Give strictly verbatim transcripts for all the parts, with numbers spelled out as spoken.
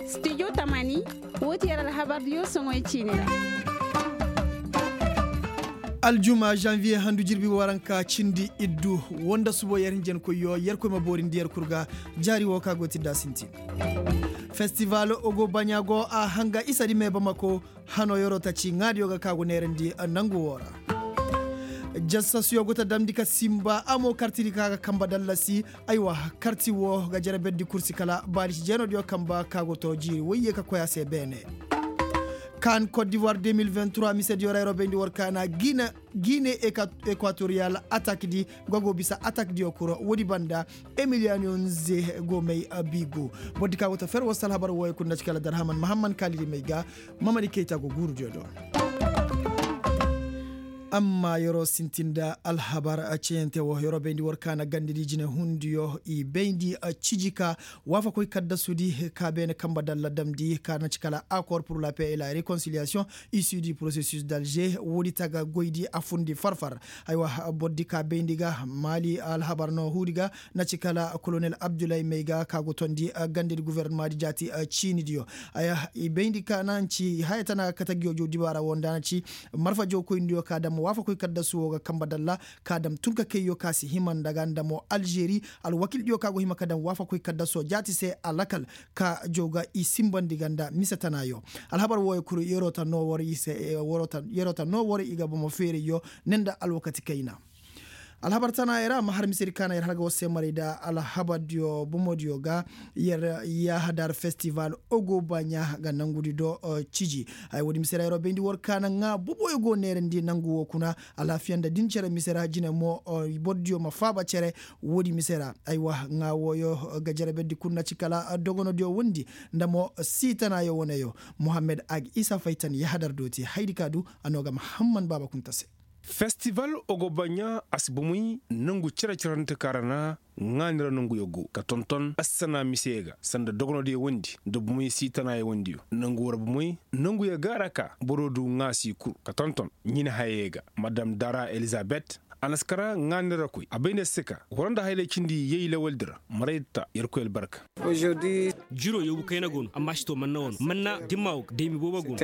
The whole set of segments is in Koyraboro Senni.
Studio tamani. Woo ti yer alhabardiyo soŋoy ciini ra. Aljuma zanviye handu jirbi waranka cindi iddu. Woo nda subo yer hinjankoyyo yer koy ma boorindi yer kul ga. Jaari woo ka go ti da sintin. Festival ogo baɲa go a hanga isa di me bamako. Hano yeroo ta ci ŋaadiyo ga ka go neerandi nangu woo ra. Jasasuyo go ta damndi ka simba a mo kartidi ka ga kamba dallasi. Aywa, karti woo ga jere berdi kursi kala baali si jeenodiyo kamba ka go too jiiri woyye ka koy a se beene. Kaan kot divoir deux mille vingt-trois misediyo ra yeroo bayndi war kaana gine. Gine ekwatoriyal atak di ga go bisa atak diyo kuro woodi banda. Emiliyaniyo nze go may biigu. Bordi ka go ta fer wasa alhabar wooyo kul na ci kala darhaman mahamman kaalidi may ga. Mamadi kayta go guurudiyo do. Amma yeroo sintin nda alhabar ceyante woo yeroo bayndi war kaana gandadi jinehundiyo i bayndi. Ciji ka waafakoy kaddasudi ka beene kamba dalla damndi ka na ci kala akor pur la paix et la rekonsiliyasiyoŋ. Issu du processus d'alger woodi taga goydi a fundi farfar. Aywa, bordi ka bayndi ga maali alhabar no huudi ga. Na ci kala kolonel abdullahi may ga ka go tondi gandadi guvernemadi jaati ciinidiyo. Aya i bayndi ka na ci haya tana katagiyo jow dibaara woo nda na ci marfa jowkoyndiyo ka dam waafakoy kaddasu woo ga kamba dalla. Ka dam tun ka kayyo ka si hima nda ga nda mo alžeri. Alwakildiyo ka go hima ka dam waafakoy kaddaso jaati se a lakal. Ka jow ga i simbandi ga nda mise tanaayo. Alhabar wooyo kul yeroo ta noo war i se. Yeroo ta noo war i ga bomo feerayyo ne nda alwakati kayna. Alhabar tanaayey ra ma har misedi ka na yer har ga war se maray nda alhabardiyo bomodiyo ga. Yer yahadar festival ogobaɲa ga nangudi do. Ciji haya woodi mise ra yeroo bayndi war ka na ŋaa boboyo go neerandi nangu woo kuna. Alaafiya nda din cere mise ra jine mo bordiyo ma faaba cere. Woodi mise ra aywa ŋaa wooyo ga jere berdi kul na ci kala dogonodiyo wondi nda mo sii tanaayo woneyo. Muhammed ag isa faytan yahadar dooti hayadi ka du. A noo ga mahamman baaba kunta se. Festival ogobaɲa a si bomoy nangu cere-cerante ka ra na ŋaani ra nanguyo go ka tonton assana mise ga sanda dogonodiyo wondi nda bomoy sii tanaayo wondiyo nangu ra bomoy. Nanguyo ga ra ka boro du ŋaasi kul ka tonton ɲin hayey ga madam dara elizabet. A na si kara ŋaani ra koy a bay nda si ka horo nda haylay cindi yey lawaldi ra maray ta yerkoy albarka. Jiro yoobu kayna go no amma si to manna wano manna dimma wo ga daymi boobo go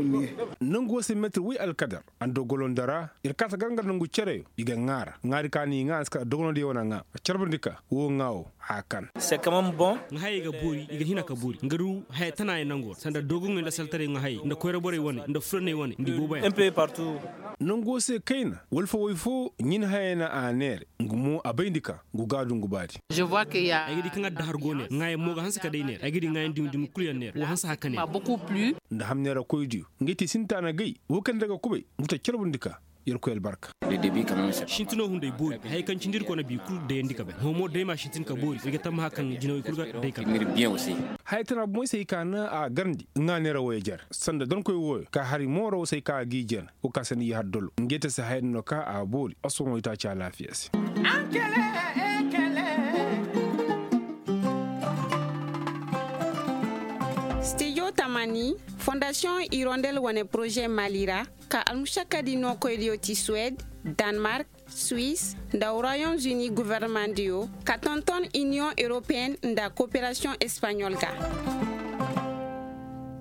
no. Nangu wo se metir woy alkadar. Ando golonda ra ir kaata gar nga nangu cereyo i ga ŋaara ŋaari ka ni ŋaa a si kala dogonodiyo wane ŋaa. Carbandi ka wo ŋaa wo haya kan. Nga hayey ga boori i ga hina ka boori nga du haya tana ya nango ra sanda dogonŋey nda saltaray nga hayey nda koyra borey wane nda fulaney wane nda i boobo yaŋ. Nango se kayna wala fo way fo ɲin hayey na a neere. Nga mo a bayndi ka ngu ga a du ngu baadi. Ay ga di kaŋ addahar go neer ŋaayaŋ mo ga hanse ka day neer ay ga di ŋaayaŋ dumi dumi kulu yaŋ neer wo hanse haka neer. Nda hamneerakoydiyo ngey te sinta na gay wo kaŋ nda ga kubay ngu ta carbundi ka. Yerkoy albarka. Sintino hunday boori haya kaŋ cindi ir kona bi kulu dayandi ka bay hõ mo day ma sintin ka boori ir ga tammaha kaŋ jinawey kulu ga day ka bay. Haya tana bomoy se ay ka na a garndi ŋaaneera woy jer sanda donkoy wooyo ka hari mooraw se ay ka a g'i jer. Wo ka se ni yahar dolo ngey te se haya din no ka a boori a sohõ itaaci alaafiya se. Studio tamani fondasiyoŋ irondel wane poroze mali ra ka almušakadi nookoydiyo ti suwed, danmark, suis nda royaume uni governemandiyo ka tonton iniyoŋ europeyen nda koperasiyoŋ espaɲol ga.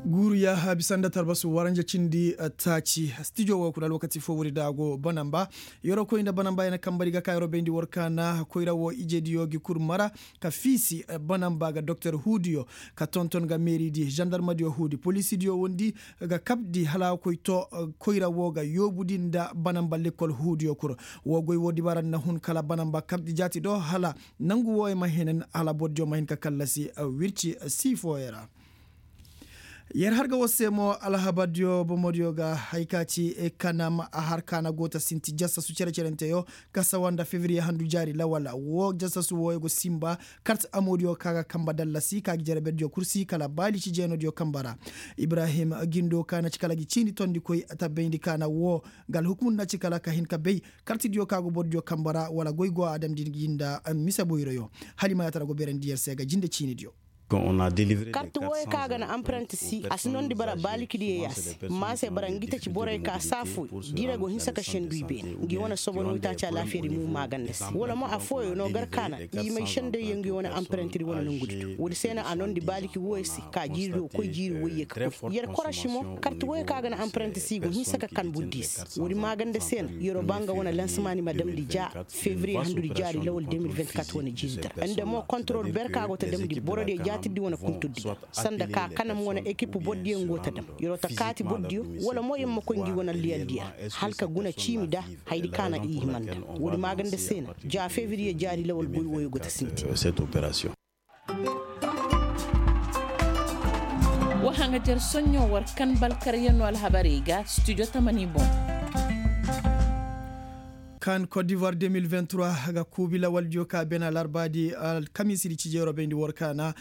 Guuru yaaha bisa nda tarbasu waranja cindi taaci stijo wo kuna alwakati fo wuri da a go banamba. Yeroo koy nda banamba ya na kambari ga ka yeroo bayndi war kaana koyra wo ijediyo gi kul mara ka fiisi banamba ga doktor huudiyo ka tonton ga meeridi zandarmadiyo huudi poliisidiyo wondi ga kabdi hala a koy to. Koyra wo ga yoobudi nda banamba lekkol huudiyo kul. Wo goy wo dibaara na hun kala banamba kabdi jaati do hala nangu wooyo ma henen hala bordiyo ma hin ka kallasi wirci sii fooyo ra. Yer har ga war se mo alhabardiyo bomodiyo ga hay ka ci kanam a har ka na go ta sinti jasasu cere-cerenteyo ka sawa nda fevriye handu jaari lawal wo jasasu wooyo go simba. Kart amodiyo ka ga kamba dallasi ka gi jere berdiyo kursi kala baali ci jeenodiyo kamba ra. Ibrahim gindo ka na ci kala gi ciini tondikoy tabbayndi ka na wo ga alhukumu na ci kala ka hin ka bay kartidiyo ka go bordiyo kamba ra wala goy go a damndi gi nda mise boyroyo. Hala i ma yaatara go beerandi yer se ga jinde ciinidiyo. Karti wooyo kaŋ a ga na amparantisi a si nondi bara baaliki diyo ya se. Maa se bara ngi taci borey ka saafuy diire go hinsa ka sendu i beene. Ngi wane sobono itaaci alaafiyadi mo maaganda se wala mo affooyo no gar kaana i may sendayyaŋ ngi wane amparantidi wane nongudi to woodi se no a nondi baaliki wooyo se ka jiiri do koy jiiri woyye ka koy yer korasi mo karti wooyo kaŋ a ga na amparantisi i go hinsa ka kan burdi se. Woodi maaganda se no yeroo ba nga wane lansamaani ma damndi ja febriye handudi jaari lawal de mil vingt-quatre wane jiizi dara nda mo kontorol ber ka go ta damndi borodiyo jaatirdi wane kunturdi ga sanda ka kanam wane ekip bordiyo ngo ta dam yeroo ta kaati bordiyo wala mo yer ma koy ngi wane liyaldiyo ra hala ka guna ciimi da hayadi ka na i hima nda woodi maaganda se no ja febriye jaari lawal goy wooyo go ta sintin. Wa haŋajer soɲɲo war kan balkaryanno alhabarey ga studio tamani boŋ. Kan kot divoir deux mille vingt-trois ga kuubi lawaldiyo ka bena larbaadi alkamiisidi cijeero bayndi war kaana.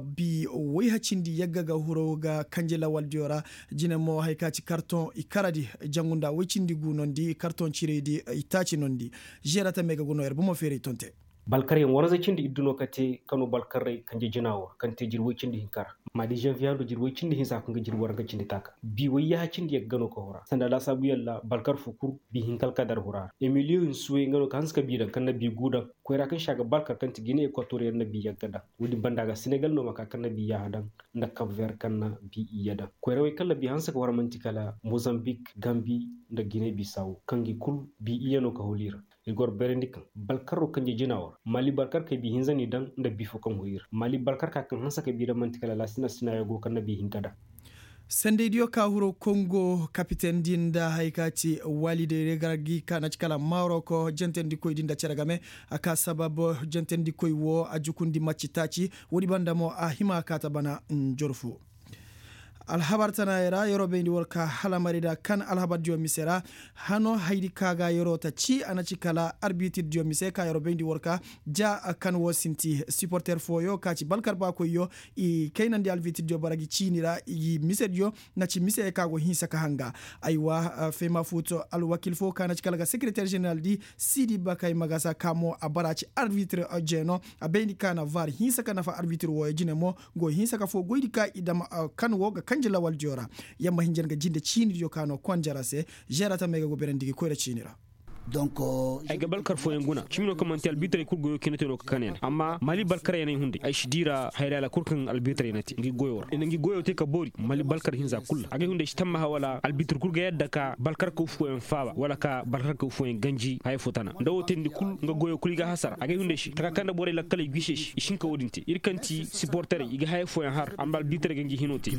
Bi woyhacindi yagga ga huro ga kanje lawaldiyo ra. Jine mo haya ka ci kartoŋ i karadi jangu nda woycindi gu nondi kartoŋ ciraydi i taaci nondi. Žeera tamey ga go no yer bomo feeray tonte. Balkaryaŋ waranza cindi iddu no ka te kano balkarray kanje jina war kaŋ te jiri woy cindi hinka ra. Ma di žanviye hando jiri woy cindi hinsa kaŋ ga jiri waranka cindi taaka bi woy yaha cindi yagga no ka hura sanda laasaabu yalla balkar fo kul bi hinka alkadar hura ra. Emiliyo hinsuwey nga no ka hanse ka bi daŋ kaŋ na bi gu daŋ koyra kaŋ se a ga balkar kaŋ ti gine ekwatoriyaŋ na bi yagga daŋ. Woodin banda ga senegal no ma ka kaŋ na bi yaha daŋ nda kap ver kaŋ na bi iyye daŋ koyrawey kaŋ na bi hanse ka war man'ti kala mozambik gambi nda gine bisawo kaŋ gi kul bi iyye no ka holi ra. Ir gor berandi kaŋ balkarro kanje jina war mali balkar kay bi hinza ni daŋ nda bi fo kaŋ huri ir mali balkar ka kaŋ hanse ka bi daŋ man'ti kala laasina sina yago kaŋ na bi hinka daŋ. Sendaydiyo ka huro kongo kapiten din nda haya ka ci waliday regargi ka na ci kala maroko jentendikoy din nda cere game. A ka sabab jentendikoy wo a jukundi macci taaci woodi banda mo a hima ka ta bana njorfu. Alhabar tanaayey ra yeroo bayndi war ka halamari nda kan alhabardiyo mise ra. Hano hayadi ka ga yeroo ta ci a na ci kala arbitirdiyo mise ka yeroo bayndi war ka ja kan wo sinti siporter fooyo ka ci balkar baakoyyo. I kaynandi albitirdiyo bara gi ciini ra i gi misediyo na ci miseyey ka go hinsa ka hanga. Aywa fema fuuto alwakil fo ka na ci kala ga sekereter ženeral di siidi bakay magasa ka mo a bara ci arbitir jeeno. A bayndi ka na var hinsa ka nafa arbitir wooyo jine mo go hinsa ka foo goydi ka i dam kan wo ga kanji lawaldiyo ra. Yamma hinja nga jinde ciinidiyo ka no konjara se. Žeera tamey ga go berandi gi koyra ciini ra. Ay ga balkar fooyaŋ guna cimi no kaŋ man'ti albitarey kul goyo kine te no ka kanay na amma mali balkaryaney hunday ay si dii ra hayray alakul kaŋ albitarey na te ngi goyo ra i na ngi goyo te ka boori mali balkar hinza kul ra agay hunday si tammaha wala albitar kul ga yadda ka balkarkaw fooyaŋ faaba wala ka balkarkaw fooyaŋ ganji haya fo tana nda wo teendi kul nga goyo kul i ga hasara agay hunday se taka kaŋ nda borey lakkaley gise se i si hin ka wo-din te ir kaŋ ti siporterey i ga haya fooyaŋ har amma albitarey ga ngi hino te.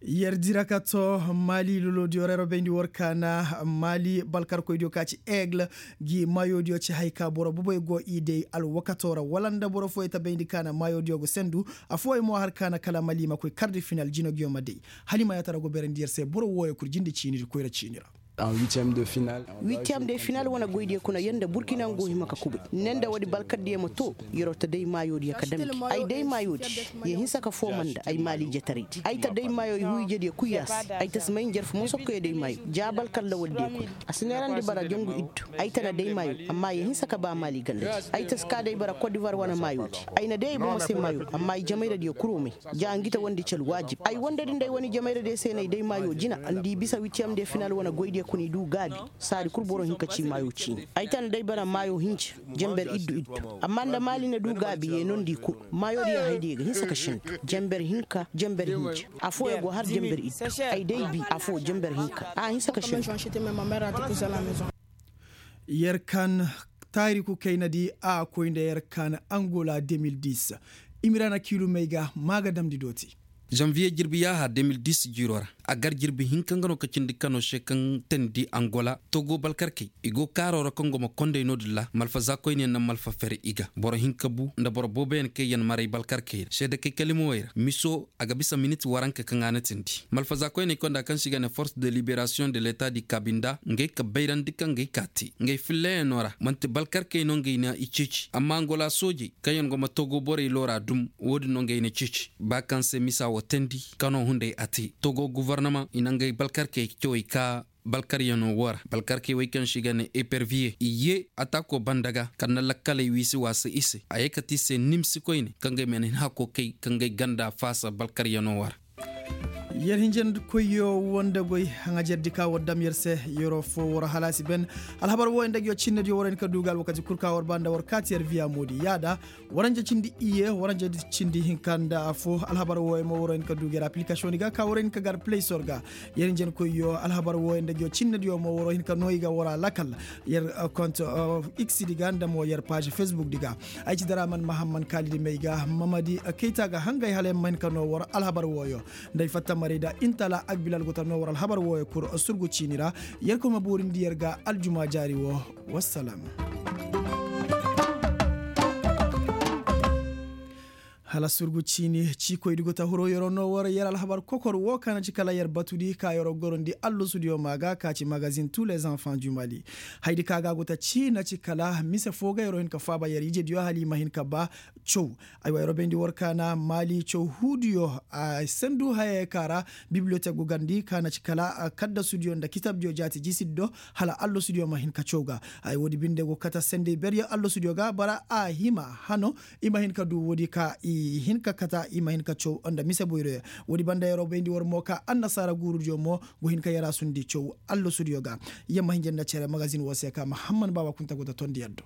Yer dira ka to mali lolodiyo ra yer bayndi war ka na mali balkarkoydiyo ka ci aigle gi maayodiyo ci hay ka boro bobey go i day alwakato ra wala nda boro fooyey ta bayndi ka na maayodiyo go sendu. Afooyey mo har ka na kala mali ma koy kardi final jinogiyo ma day. Hala i ma yaatara go beerandi yer se boro wooyo kul jinde ciinidi koyra ciini ra. Huitième de final wane goydiyo kuna yer nda burkina nga go hima ka kubay ne nda woodi balkardiyo ma to. Yeroo ta day maayoodiyo ka damndi ay day maayoodi. Yee hinsa ka fooma nda ay maaliijataraydi ay ta day maayo i huu ijediyo kul yaa se. Ay ta si may njarfu moso ka koy day maayo ja balkar lawaldiyo kuna. A si neerandi bara jangu iddu. Ay ta na day maayo amma yee hinsa ka ba maali gandadi. Ay ta si ka day bara kot divoir wane maayoodi. Ay na day ay bomo se maayo amma ay jamayradiyo kul wo may. Ja ngi ta wandi ci alwaajib ay wandadi nda ay wane jamayradiyo se no ay day maayo jina nda i bisa witiyam de final wane goydiyo kuna i du gaabi. Saadi kul boro hin ka ci maayo ciini ay ta nda ay bara maayo hinja. Janber iddu iddu. Amma nda maali na du gaabi yee nondi kul maayo diyo haydiyo ga hinsa ka sindu. Janber hinka janber hinja. Afooyo go har janber iddu. Ay day bi afoo janber hinka a hinsa ka sindu. Yer kan taariku kaynadi a koy nda yer kan angola deux mille dix. Imirana kiilumey ga maa ga damndi dooti. Zanviye jirbi yaaha deux mille dix jiiroo ra a gar jirbi hinka nga no ka cindi kano se kaŋ teendi angola togo balkarkey i go kaaroo ra kaŋ go ma konday no-din ra malfazaakoyniyaŋ na malfa fere i ga boro hinka bu nda boro booboyaŋ kaŋ yaŋ maray balkarkey ra seedekey kalimawey ra miso a ga bisa minit waranka kaŋ a na teendi malfazaakoyney konda kaŋ se i ga ne force de liberasiyoŋ de leta di kabinda ngey ka bayrandi kaŋ ngey ka te ngey filleyano ra man'ti balkarkey no ngey na i ceeci amma angola soojey kaŋ yaŋ go ma togo borey loora dum wo-din no ngey na ceeci ba kaŋ se misa wo teendi kano hunday a te togo guvarnama i na ngey balkarkey cawey ka Balkaryanoo woo ra balkarkey wey kaŋ se i ga nee eperviye i yee ataakoo banda ga kala na lakkaley wiisi waasa i se a yee kate i se nimsi koyne kaŋ ga ay ma na hin hakoo kay kaŋ ga ay ganda faasa balkaryanoo woo ra. Yer hinjankoyyo woo nda goy haŋajerdi ka war dam yer se yeroo foo war halaasi ben. Alhabar wooyo nda nguyo cinnediyo war hin ka du ga alwakati kul ka war ba nda war kaati yer viya moodi yaada. Waranja cindi iyye waranja cindi hinka nda affoo alhabar wooyo mo war hin ka du ga yer apilikasoŋ di ga ka war hin ka gar pelaysor ga. Yer hinjankoyyo alhabar wooyo nda nguyo cinnediyo mo war hin ka noo i ga war a lakal. Yer kont x di ga nda mo yer paaž fesbuk di ga. Ay ci daraman mahamman kaalidi may ga mamadi kayta ga hangay hala yer ma hin ka noo war alhabar wooyo. Nda ay fatta maray da intala agbilal go ta noo war alhabar wooyo kul surgu ciini ra. Yer koy ma boorindi yer ga aljuma jaari woo. Wassalam. Hala surgu ciini ciikoydi go ta hiro yeroo noo war yer alhabar kokor woo ka na ci kala yer batudi ka yeroo gorandi allosudiyo maa ga ka ci magazin tous les enfants du mali. Haydi ka ga go ta cii na ci kala mise foo ga yeroo hin ka faaba yer ijediyo hala i ma hin ka ba. Caw. Aywa yeroo bayndi war ka na maali caw huudiyo a sandu hayey ka ra bibliyotek go garndi ka na ci kala kaddasudiyo nda kitabdiyo jaati jisiddo. Hala allosudiyo ma hin ka caw ga. Ay woodi binde go kate sendey beryaŋ allosudiyo ga bara a hima hano. I ma hin ka du woodi ka i hin ka kate i ma hin ka caw nda mise boyroyaŋ. Woodi banda yeroo bayndi war mo ka annasaara guurudiyo mo go hin ka yaraasundi caw allosudiyo ga. Yer ma hinja nda cere magazin woo se ka mahamman baaba kunta go ta tondi yer do.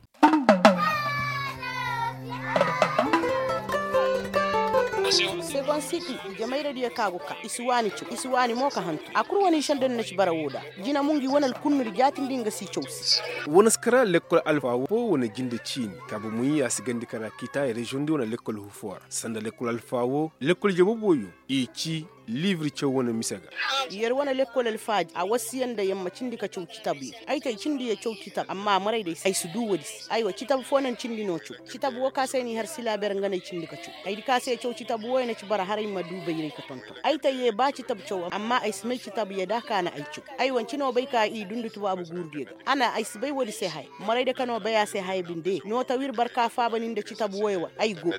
Segon siti. Jamayradiyo ka go ka i si waani caw i si waani mo ka hantu a kul wane i sendandi na ci bara woo da. Jina mo ngi wane alkunnuri jaatindi nga si caw se. Wane si kara lekkol alfa woo wane jinde ciini kaabu muyi a si gandi kara kiita reziyoŋ di wane lekkol hufoora sanda lekkol alfa woo lekkol jabobooyo. I ci liibir caw wane mise ga. Yer wane lekkol alfaadi a wasiya nda yer ma cindi ka caw citabuyaŋ. Ay te ay cindi yer caw citabu amma maray day ay si du woodi se aywa citabu foo na ni cindi no caw. Citabu woo ka se ni har silaaber nga no ay cindi ka caw. Haydi ka se caw citabu wooyo na ci bara haray ma du bayray ka tonton ay te yee ba citabu caw amma ay si may citabu yee da ka na ay caw. Ay wanci no bay ka i dundi tubaabu guurudiyo ga a na ay si bay woodi se haya. Maray da ka no bay a se haya binde no ta wir barka faaba ni nda citabu wooyo wa ay go.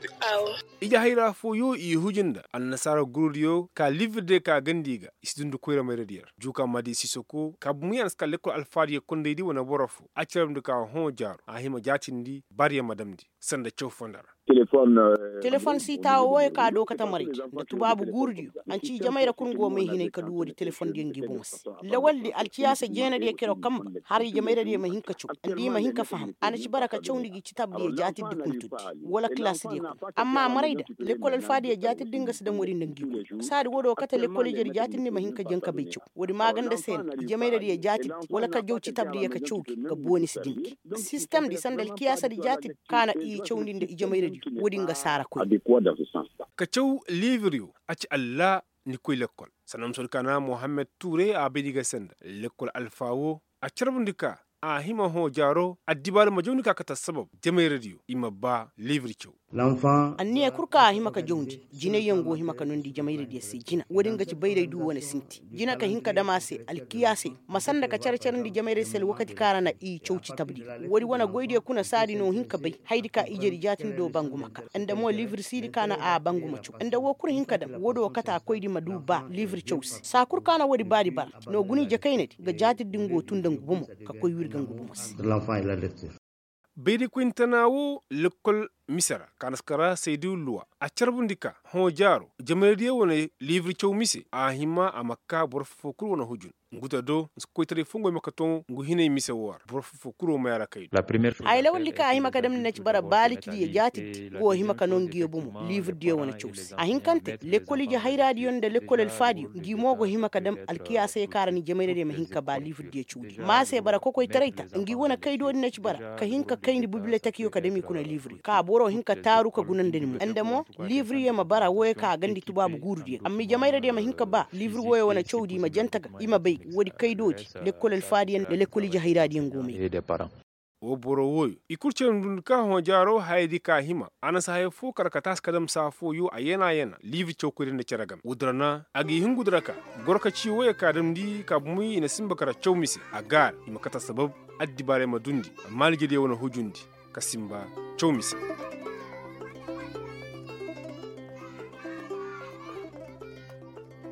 Ije hayra fooyo i huju nda annasaara gurudiyo ka liibir diyo ka gandi i ga i si dundi koyra mayradiyo ra juuka maadi sisoko kaabu muyaŋ si ka lekkol alfaadiyo kondaydi wane boro foo a carabndi ka hõ jaaro a hima jaatindi baariyo ma damndi. Sanda caw fonda ra. Telefon siitaawo wooyo ka dookata maraydi nda tubaabu guurudiyo. Anci jamayra kul nga wo may hinay ka du woodi telefondiyo ngi bomo se. Lawaldi alciyaasa jeenadiyo kero kamba haray jamayradiyo ma hin ka caw nda i ma hin ka faham a na ci bara ka cawndi gi citabdiyo jaatindi kuntundi wala kilaasidiyo kul amma maray da lekkol alfaadiyo jaatindi nga si daŋ woodi nda ngi kul saadi woodi wo kate lekkol ijedi jaatindi ma hin ka jaŋ ka bay caw. Woodi maaganda se na jamayradiyo jaatindi wala ka jaw citabdiyo ka caw gi ga booni si din gi sistemdi sanda alkiyaasadi jaatindi ka na i cawndi nda i jamayradiyo woodi nga saara koy. Ka caw liibiriyo a ci alla ni koy lekkol. Sanda musodi ka na mohammed tuure a bay di ga senda lekkol alfa woo a carbundi ka a hima hõ jaaro addibaari ma jawndi ka kate assabab jamayradiyo i ma ba liibir caw. Anniya kul ka a hima ka jawndi jinayyaŋ go hima ka noondi jamayradiyo se jina woodin ga ci bayray du wane sinti jina ka hin ka dam a se alkiyaasey ma sanda ka care-carandi jamayray se alwakati ka ra na i caw citabdiyo woodi wane goydiyo kuna saadi no hin ka bay haydi ka ijedi jaatindi do banguma ka nda mo liibir siidi ka na a banguma caw nda woo kul hin ka dam woodi wo kate a koydi ma du ba liibir caw se saa kul ka na woodi baadi bara no guna ije kaynadi ga jaatindi ngo tun nda ngu bomo ka koy wirga ngu bomo se. Baydikwintana woo lekkol mise ra kaanaskara saydu luwa a carbundi ka hõ jaaro jamaydiyo wane liibir caw mise a hima a ma kaa boro foo kul wane hujun. Ngu ta do nsi koytaray foo ngo hima ka too ngu hinay mise woo ra boro foo kul wo may a ra kay do. Ay lawaldi ka a hima ka damndi na ci bara baalitidiyo jaatindi ngu wo hima ka noo nguyo bomo liibirdiyo wane caw se a hinkante lekkol ije hayraadiyo nda lekkol alfaadiyo ngi mo go hima ka dam alkiyaasey ka ra ni jamayradiyo ma hin ka ba liibirdiyo cawdiyo ma a se bara kokoytaray ta ngi wane kaydoodi na ci bara ka hin ka kayndi bibiletekiyo ka dam i kuna liibiriyo ka boro hin ka taaru ka guna nda ni mo nda mo liibiriyo ma bara wooyo ka a gandi tubaabu guurudiyo amma i jamayradiyo ma hin ka ba liibiri wooyo wane cawdi i ma jante ga i ma bay woodi kaydoodi lekkol alfaadiyo nda lekkol ije hayraadiyo ngo may. Woo boro wooyo i kul cere ndundi ka hõ jaaro hayadi ka hima a na si haya foo kar ka taasi ka dam saa fooyo a yana yana liibi cawkoydi nda cere game woodi ra na a ga i hingudi ra ka goro ka cii wooyo ka damndi ka bumey i na sinba kar caw mise a gaara i ma kate assabab addibaarey ma dundi amma alijediyo wane hujundi ka sinba caw mise.